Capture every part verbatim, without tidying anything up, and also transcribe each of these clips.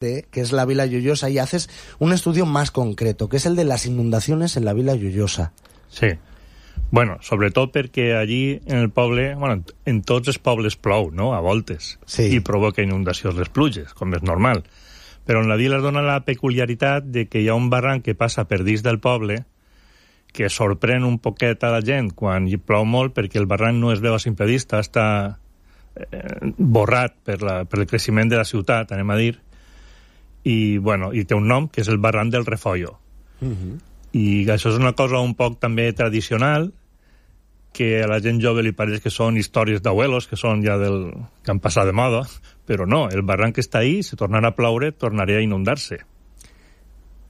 que es la Vila Joiosa, y haces un estudio más concreto, que es el de las inundaciones en la Vila Joiosa. Sí. Bueno, sobretot perquè allí en el poble, bueno, en tots els pobles plou, no?, a voltes, sí. I provoca inundacions les pluges, com és normal. Però en la vila es dona la peculiaritat de que hi ha un barranc que passa per dins del poble que sorprèn un poquet a la gent quan hi plou molt, perquè el barranc no es veu a simple vista, està eh, borrat per, la, per el creixement de la ciutat, anem a dir, i, bueno, i té un nom, que és el barranc del Refollo. Uh-huh. I això és una cosa un poc també tradicional, que a la gent jove li pareix que són històries d'abuelos, que són ja del... que han passat de moda, però no, el barranc està ahí, si tornara a ploure, tornaría a inundarse.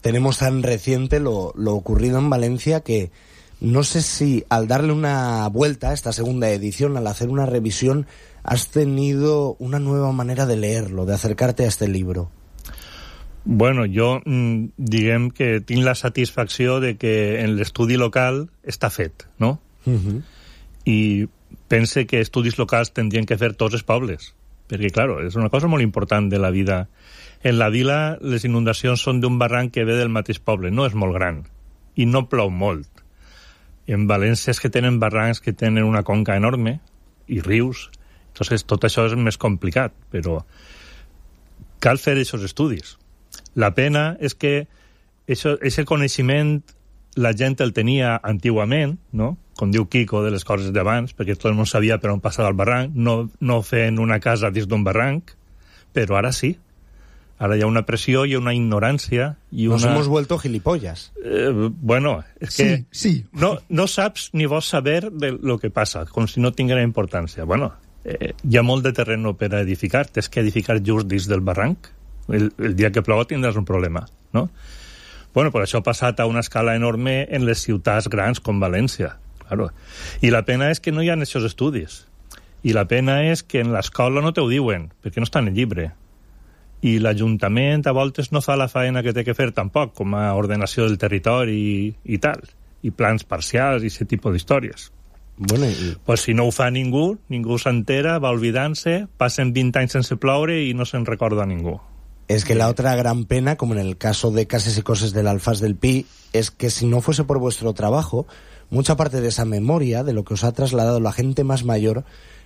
Tenemos tan reciente lo, lo ocurrido en Valencia que no sé si al darle una vuelta a esta segunda edición, al hacer una revisión, has tenido una nueva manera de leerlo, de acercarte a este libro. Bueno, jo mm, diguem que tinc la satisfacció de que en l'estudi local està fet, no? Uh-huh. I pense que estudis locals tendrien que fer tots els pobles, perquè, claro, és una cosa molt important de la vida. En la vila, les inundacions són d'un barranc que ve del mateix poble, no és molt gran, i no plou molt. En València és que tenen barrancs que tenen una conca enorme, i rius, entonces tot això és més complicat, però cal fer aquests estudis. La pena és que aquest coneixement la gent el tenia antigament, no?, com diu Quico, de les coses d'abans, perquè tot el món sabia per on passava el barranc, no, no fent una casa dins d'un barranc, però ara sí. Ara hi ha una pressió i una ignorància. I una... Nos hemos vuelto gilipollas. Eh, bueno, és que sí, sí. No, no saps ni vols saber de lo que passa, com si no tinguera importància. Bueno, eh, hi ha molt de terreno per a edificar, tens que edificar just dins del barranc. El, el dia que plou tindràs un problema, no? Bueno, però això ha passat a una escala enorme en les ciutats grans com València, claro. I la pena és que no hi ha aquests estudis. I la pena és que en l'escola no te ho diuen, perquè no està en el llibre. I l'Ajuntament a voltes no fa la feina que té que fer tampoc, com a ordenació del territori i, i tal, i plans parcials i aquest tipus d'històries. Bueno, y... Pues si no ho fa ningú, ningú s'entera, va oblidant-se, passen vint anys sense ploure i no se'n recorda a ningú. Es que la otra gran pena, como en el caso de Cases y Coses del Alfaz del Pi, es que si no fuese por vuestro trabajo, mucha parte de esa memoria, de lo que os ha trasladado la gente más mayor,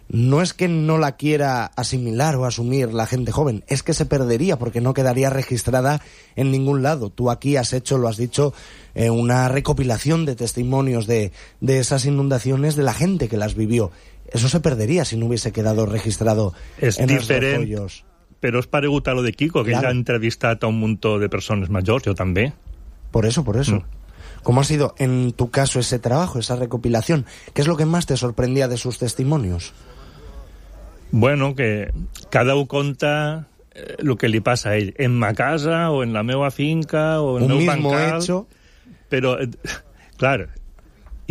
no es que no la quiera asimilar o asumir la gente joven, es que se perdería porque no quedaría registrada en ningún lado. Tú aquí has hecho, lo has dicho, eh, una recopilación de testimonios de, de esas inundaciones de la gente que las vivió. Eso se perdería si no hubiese quedado registrado es en los diferent, refollos. Però és paregut a lo de Quico, que claro. Ell ha entrevistat a un muntó de persones majors, jo també. Por eso, por eso. Mm. ¿Cómo ha sido en tu caso ese trabajo, esa recopilación? ¿Qué es lo que más te sorprendía de sus testimonios? Bueno, que cada un conta eh, lo que li passa a ell, en ma casa o en la meva finca o en el meu mismo bancal. Hecho. Però, eh, clar,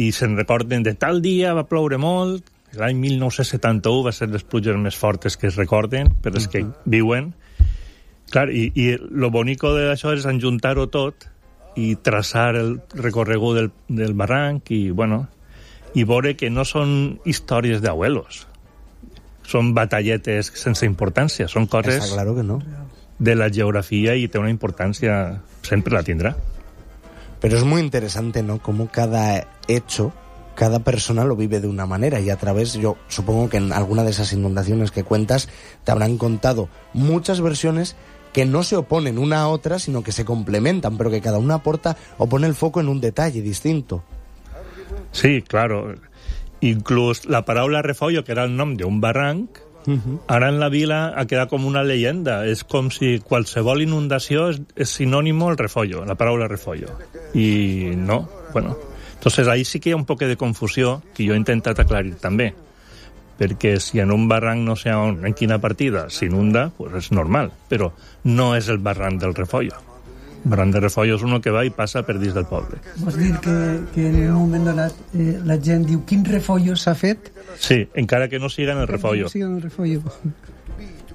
i se'n recorden de tal dia va ploure molt, l'any mil nou-cents setanta-u va ser les pluges més fortes que es recorden, per les que viuen. Clar, i, i lo bonico d'això és enjuntar-ho tot i traçar el recorregut del, del barranc i, bueno, i veure que no són històries d'abuelos. Són batalletes sense importància, són coses Está claro que no. de la geografia i té una importància, sempre la tindrà. Pero es muy interesante, ¿no?, cómo cada hecho, cada persona lo vive de una manera y a través, yo supongo que en alguna de esas inundaciones que cuentas te habrán contado muchas versiones que no se oponen una a otra, sino que se complementan, pero que cada una aporta o pone el foco en un detalle distinto. Sí, claro. Inclús la paraula refollo, que era el nom d'un barranc, uh-huh. Ara en la vila ha quedat com una leyenda. És com si qualsevol inundació és, és sinònimo al refollo, la paraula refollo. I no, bueno... Entonces ahí sí que hi ha un poc de confusió que jo he intentat aclarir també, perquè si en un barranc no sé on, en quina partida s'inunda, pues és normal, però no és el barranc del Refollo. El barranc del Refollo és uno que va i passa per dins del poble. Vols dir que, que en un moment donat eh, la gent diu quin refollo s'ha fet? Sí, encara que no siga en el Refollo. No siga en el Refollo.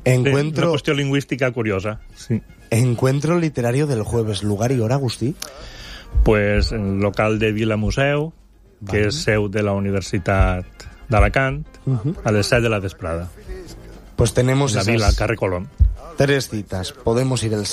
Encuentro... Sí, una qüestió lingüística curiosa, sí. Encuentro literario del jueves, lugar y hora, Agustí. Pues en el local de Vila Museu, vale. Que és seu de la Universitat d'Alacant, uh-huh. A les set de la vesprada. Pues tenemos en la esas... vila, al carrer Colón. Tres citas. Podemos ir el